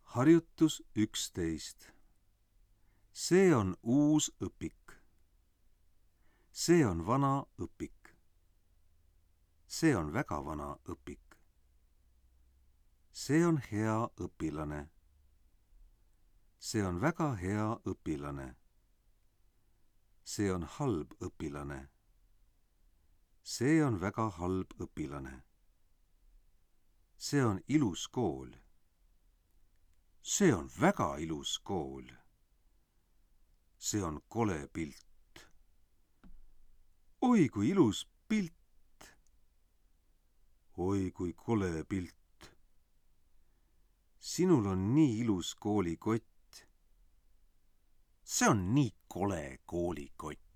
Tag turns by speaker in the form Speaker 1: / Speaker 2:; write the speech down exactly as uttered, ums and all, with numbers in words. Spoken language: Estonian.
Speaker 1: Harjutus üksteist. See on uus õpik. See on vana õpik. See on väga vana õpik. See on hea õpilane. See on väga hea õpilane. See on halb õpilane. See on väga halb õpilane. See on ilus kool. See on väga ilus kool. See on kole pilt. Oi, kui ilus pilt. Oi, kui kole pilt. Sinul on nii ilus koolikott. See on nii kole koolikott.